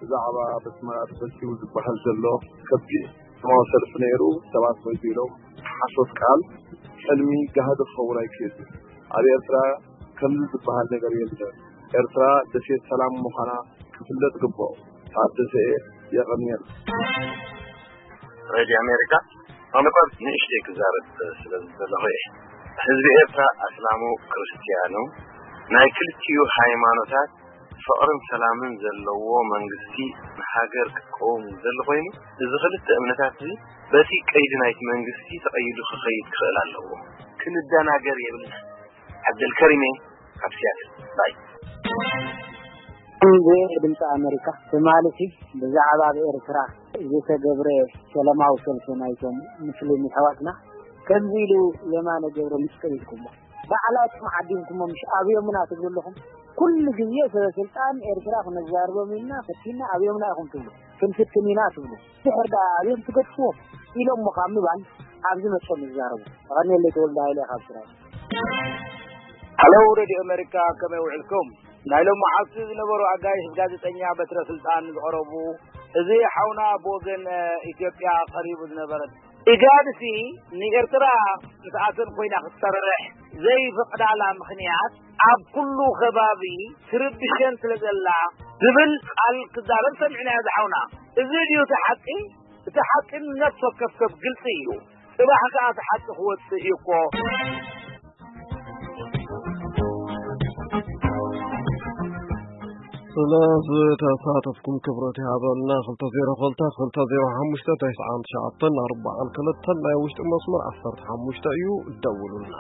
ብዛዕባ በስመራ ተፈቲው ዝበሃል ዘሎ ከቢድ ሰላማዊ ሰልፊ ነይሩ። ሰባት መፂ ኢሎም ሓሶት ቃል፣ ሕልሚ፣ ጋህዲ ክኸውን ኣይክእል። ኣብ ኤርትራ ከምዚ ዝበሃል ነገር የለን። ኤርትራ ደሴት ሰላም ምዃና ክፍለጥ ግብኦ። ታደሰ እየ። የቐንየል። ሬድዮ ኣሜሪካ፣ ኣነኳ ንእሽተይ ክዛረብ ስለ ዝደለኹ እየ። ህዝቢ ኤርትራ ኣስላሙ ክርስትያኑ ናይ ክልቲኡ ሃይማኖታት ፍቕርን ሰላምን ዘለዎ መንግስቲ ንሃገር ክትቀውም ዝደሊ ኮይኑ፣ እዚ ክልተ እምነታት እዚ በቲ ቀይዲ ናይቲ መንግስቲ ተቐይዱ ክኸይድ ክኽእል ኣለዎ። ክንደናገር የብልና። ዓብደልከሪም እየ ካብ ሲያትል። ባይ። እዚ ድምፂ ኣሜሪካ ትማሊ ብዛዕባ ኣብ ኤርትራ ዝተገብረ ሰላማዊ ሰልፊ ናይቶም ሙስሊም ኣሕዋትና ከምዚ ኢሉ የማነ ገብረ ምስ ቀይድኩሞ ባዕላትኩም ዓዲምኩሞ ምሽ ኣብዮምና ትብሉ ኣለኹም። ኩሉ ግዜ ሰበ ስልጣን ኤርትራ ክነዛርቦም ኢልና ፈቲና ኣብዮምና ኢኹም ትብሉ፣ ክንፍትን ኢና ትብሉ። ድሕር ደኣ ኣብዮም ትገድፍዎም ኢሎሞ ካብ ምባል ኣብዚ መፅኦም ይዛረቡ። ተቐንየለይ ተወልደ ሃይለ ካብ ስራይ። ሃሎ ሬድዮ ኣሜሪካ፣ ከመይ ውዕልኩም? ናይ ሎሚ መዓልቲ ዝነበሩ ኣጋይሽ ጋዜጠኛ በትረ ስልጣን ዝቐረቡ፣ እዚ ሓውና ብወገን ኢትዮጵያ ቀሪቡ ዝነበረ ኢጋድሲ ንኤርትራ ምስኣተን ኮይና ክትሰርሕ ዘይፈቕዳላ ምኽንያት ኣብ ኩሉ ከባቢ ትርብሸን ስለ ዘላ ዝብል ቃል ክዛረብ ሰሚዕናዮ ዝሓውና። እዚ ድዩ እቲ ሓቂ? እቲ ሓቂ ንነፍሲ ወከፍ ሰብ ግልጺ እዩ። ጽባሕ ከኣ እቲ ሓቂ ክወጽእ እዩ እኮ። ስለ ዝተሳተፍኩም ክብረት ይሃበልና። ክልተ ዜሮ ክልተ ክልተ ዜሮ ሓሙሽተ ተስዓን ትሽዓተን ኣርባዓን ክልተን ናይ ውሽጢ መስመር ዓሰርተ ሓሙሽተ እዩ። ደውሉልና።